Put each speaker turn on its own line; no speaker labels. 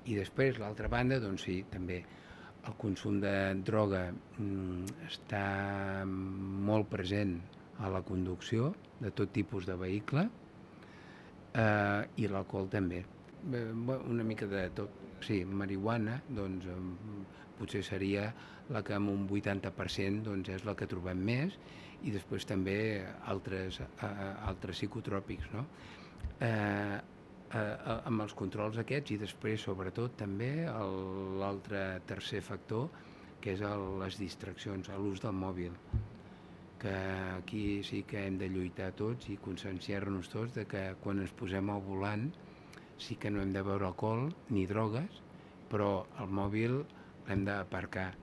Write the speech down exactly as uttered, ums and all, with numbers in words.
I després, l'altra banda, doncs sí, també el consum de droga mm, està molt present a la conducció de tot tipus de vehicle, eh, i l'alcohol també. Eh, una mica de tot. Sí, marihuana, doncs, eh, potser seria la que amb un vuitanta per cent doncs, és la que trobem més, i després també altres, eh, altres psicotròpics, no? Eh, eh, amb els controls aquests, i després sobretot també l'altre tercer factor, que és el, les distraccions, l'ús del mòbil, que aquí sí que hem de lluitar tots i conscienciar-nos tots de que quan ens posem al volant sí que no hem de beure alcohol ni drogues, però el mòbil l'hem d'aparcar